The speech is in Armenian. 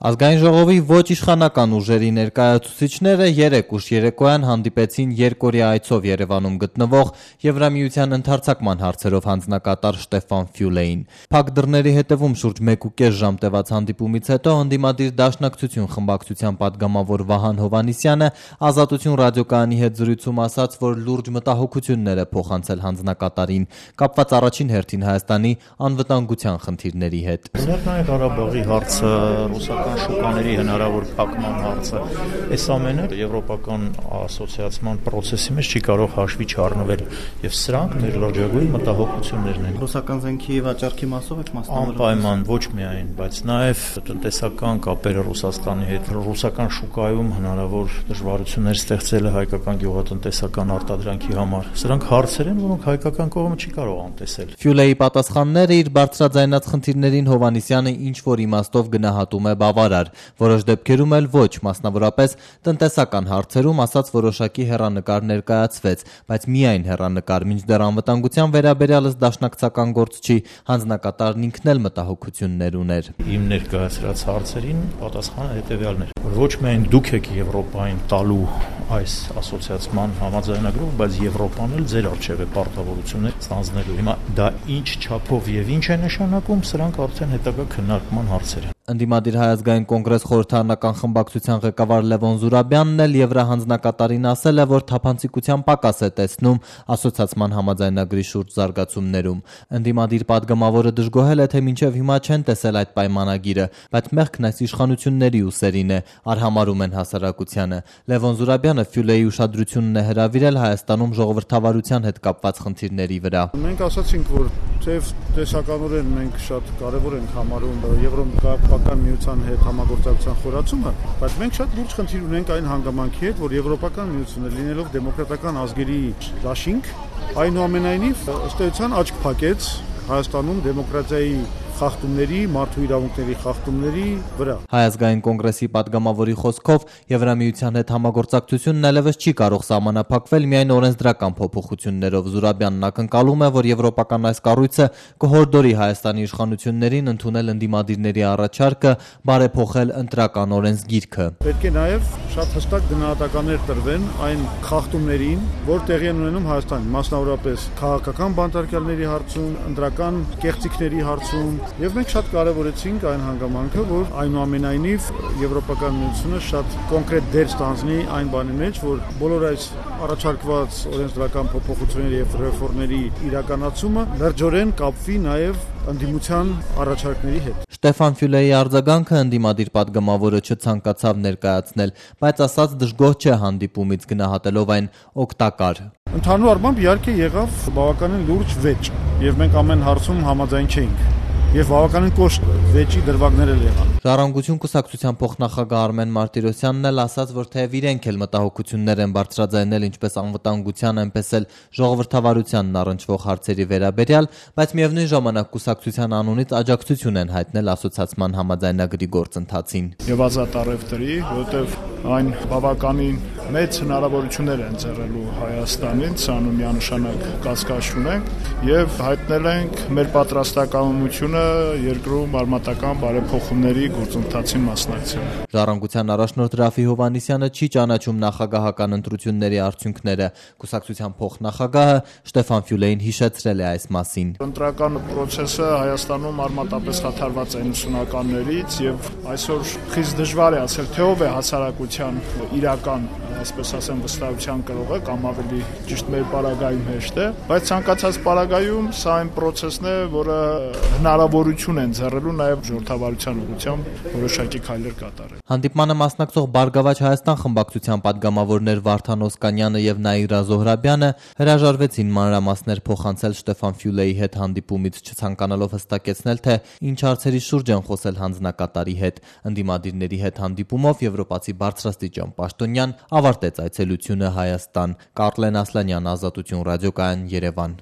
Ազգային ժողովի ոչ իշխանական ուժերի ներկայացուցիչները երեկ ուշ երեկոյան հանդիպեցին երկօրյա այցով Երևանում գտնվող Եվրամիության ընդարձակման հարցերով հանձնակատար Շտեֆան Ֆյուլեին։ Փակ դռների հետևում շուրջ 1.5 ժամ տևած հանդիպումից հետո ընդդիմադիր Դաշնակցություն խմբակցության падգամավոր Վահան Հովհաննիսյանը Ազատություն ռադիոկայանի հետ զրույցում ասաց, որ լուրջ մտահոգություններ է փոխանցել հանձնակատարին կապված առաջին հերթին Հայաստանի անվտանգության խնդիրների հետ։ Լեռնային Ղարաբաղի հարցը, ռուսական շուկաների հնարավոր փակման հարցը, այս ամենը եվրոպական ասոցիացիան process-ի մեջ չի կարող հաշվի չառնվել, եւ սրանք մեր լրջագույն մտահոգություններն են։ Ռուսական զենքի վաճառքի մասով եք մասնավորել։ Անպայման ոչ միայն, բայց նաեւ տնտեսական կապերը Ռուսաստանի հետ, ռուսական շուկայում հնարավոր դժվարություններ ստեղծելը հայկական գյուղատնտեսական արտադրանքի համար։ Սրանք հարցեր են, որոնք հայկական կողմը չի կարող անտեսել։ Ֆյուլեի պատասխանները իր բարձրաձայնած խնդիրներին Հովհաննիսյանը ինչ որ իմաստով գնահատում է բավարար, որոշ դեպքերում էլ ոչ, մասնավորապես տնտեսական հարցերում ասած որոշակի հեռանկար ներկայացվեց, բայց միայն հեռանկար, մինչդեռ անվտանգության վերաբերյալս դաշնակցական գործ չի, հանձնակատարն ինքն էլ մտահոգություններ ուներ։ Իմ ներկայացրած հարցերին պատասխանը հետևյալն էր, որ ոչ միայն դուք եք Եվրոպային տալու այս ասոցիացիան համաձայնագրով, բայց Եվրոպան էլ ձեր առջև է պարտավորություններ ստանձնելու։ Հիմա դա ինչ չափով եւ ինչ է նշանակում, սրանք արդեն հետագա քննարկման հարցեր են։ Ընդդիմադիր Հայ ազգային կոնգրես խորհրդարանական խմբակցության ղեկավար Լևոն Զուրաբյանն էլ Եվրահանձնակատարին ասել է, որ թափանցիկության պակաս է տեսնում ասոցիացիան համաձայնագրի շուրջ զարգացումներում։ Ընդդիմադիր падգամավորը դժգոհել է, թե մինչև հիմա չեն տեսել այդ պայմանագիրը, բայց մեղքն այս իշխանությունների ուսերին է, արհամարում են հասարակությանը։ Լևոն Զուրաբյանը Ֆյուլեի ուշադրությունն է հրավիրել Հայաստանում ժողովրդավարության հետ կապված խնդիրների վրա։ Մենք ասացինք, որ թեև տեսականորեն մենք շատ կարևոր ենք համարում Եվրոպական միության հետ համագործակցության խորացումը, բայց մենք շատ լուրջ խնդիր ունենք այն հանգամանքի հետ, որ Եվրոպական միությունը լինելով դեմոկրատական ազգերի դաշինք, այնուամենայնիվ ըստ էության աչք փակեց Հայաստանում դեմոկրատիայի խախտումների, մարդու իրավունքների խախտումների վրա։ Հայ ազգային կոնգրեսի падգամավորի խոսքով Եվրամիության հետ համագործակցությունն այլևս չի կարող սահմանափակվել միայն օրենսդրական փոփոխություններով։ Զուրաբյանն ակնկալում է, որ եվրոպական այս կառույցը կհորդորի Հայաստանի իշխանություններին ընդունել ընդդիմադիրների առաջարկը բարեփոխել ընտրական օրենսգիրքը։ Պետք է նաև շատ հստակ գնահատականներ տրվեն այն խախտումներին, որ տեղի են ունենում Հայաստանում, մասնավորապես քաղաքական բանտարկյալների հարցում, ընտրական կեղծիքների հարցում։ Եվ մենք շատ կարևորեցինք այն հանգամանքը, որ այնուամենայնիվ Եվրոպական միությունը շատ կոնկրետ դեր ստանձնի այն բանի մեջ, որ բոլոր այս առաջարկված օրենսդրական փոփոխությունների եւ ռեֆորմների իրականացումը լրջորեն կապվի նաեւ ընդդիմության առաջարկների հետ։ Շտեֆան Ֆյուլեի արձագանքը ընդդիմադիր падգամավորը չցանկացավ ներկայացնել, բայց ասաց դժգոհ չէ հանդիպումից, գնահատելով այն օգտակար։ Ընդհանուր առմամբ իհարկե եղավ բավականին լուրջ վեճ, եւ մենք ամեն հարցում համաձայն չէինք։ Եվ բավականին կոշտ վեճի դրվագներ էլ եղան։ Ժառանգություն կուսակցության փոխնախագահ Արմեն Մարտիրոսյանն էլ ասաց, որ թեև իրենք էլ մտահոգություններ են բարձրաձայնել ինչպես անվտանգության, այնպես էլ ժողովրդավարությանն առնչվող հարցերի վերաբերյալ, բայց միևնույն ժամանակ կուսակցության անունից աջակցություն են հայտնել ասոցիացիան համաձայնագրի գործընթացին։ Եվ ազատ առևտրի, որովհետև այն բավականին մեծ հնարավորություններ են ծառայելու Հայաստանին, սրանու միանշանակ կասկած չունենք, եւ հայտնել ենք մեր պատրաստակամությունը երկրում արմատական բարեփոխումների գործընթացին մասնակցել։ Ժառանգության առաջնորդ Ռաֆի Հովհաննիսյանը չի ճանաչում նախագահական ընտրությունների արդյունքները։ Կուսակցության փոխնախագահը Շտեֆան Ֆյուլեին հիշեցրել է այս մասին։ Ընտրական process-ը Հայաստանում արմատապես խաթարված է 90-ականներից եւ այսօր խիստ դժվար է ասել, թե ով է հասարակության իրական, այսպես ասեմ, վստահության կրողը կամ ավելի ճիշտ մեր պարագայում հեշտ է, բայց ցանկացած պարագայում սա այն process-ն է, որը հնարավորություն են ձեռելու նաև ժողովրդավարության ուղղությամբ որոշակի քայլեր կատարել։ Հանդիպմանը մասնակցող Բարգավաճ Հայաստան խմբակցության падգամավորներ Վարդան Օսկանյանը եւ Նաիրա Զոհրաբյանը հրաժարվեցին մանրամասներ փոխանցել Շտեֆան Ֆյուլեի հետ հանդիպումից, չցանկանալով հստակեցնել, թե ինչ հարցերի շուրջ են խոսել հանձնակատարի հետ։ Ընդդիմադիրների հետ հանդիպումով եվրոպացի բարձրաստիճան պաշտոնյան ավարտեց այցելությունը Հայաստան։ Կարլեն Ասլանյան, Ազատություն ռադիոկայան, Երևան։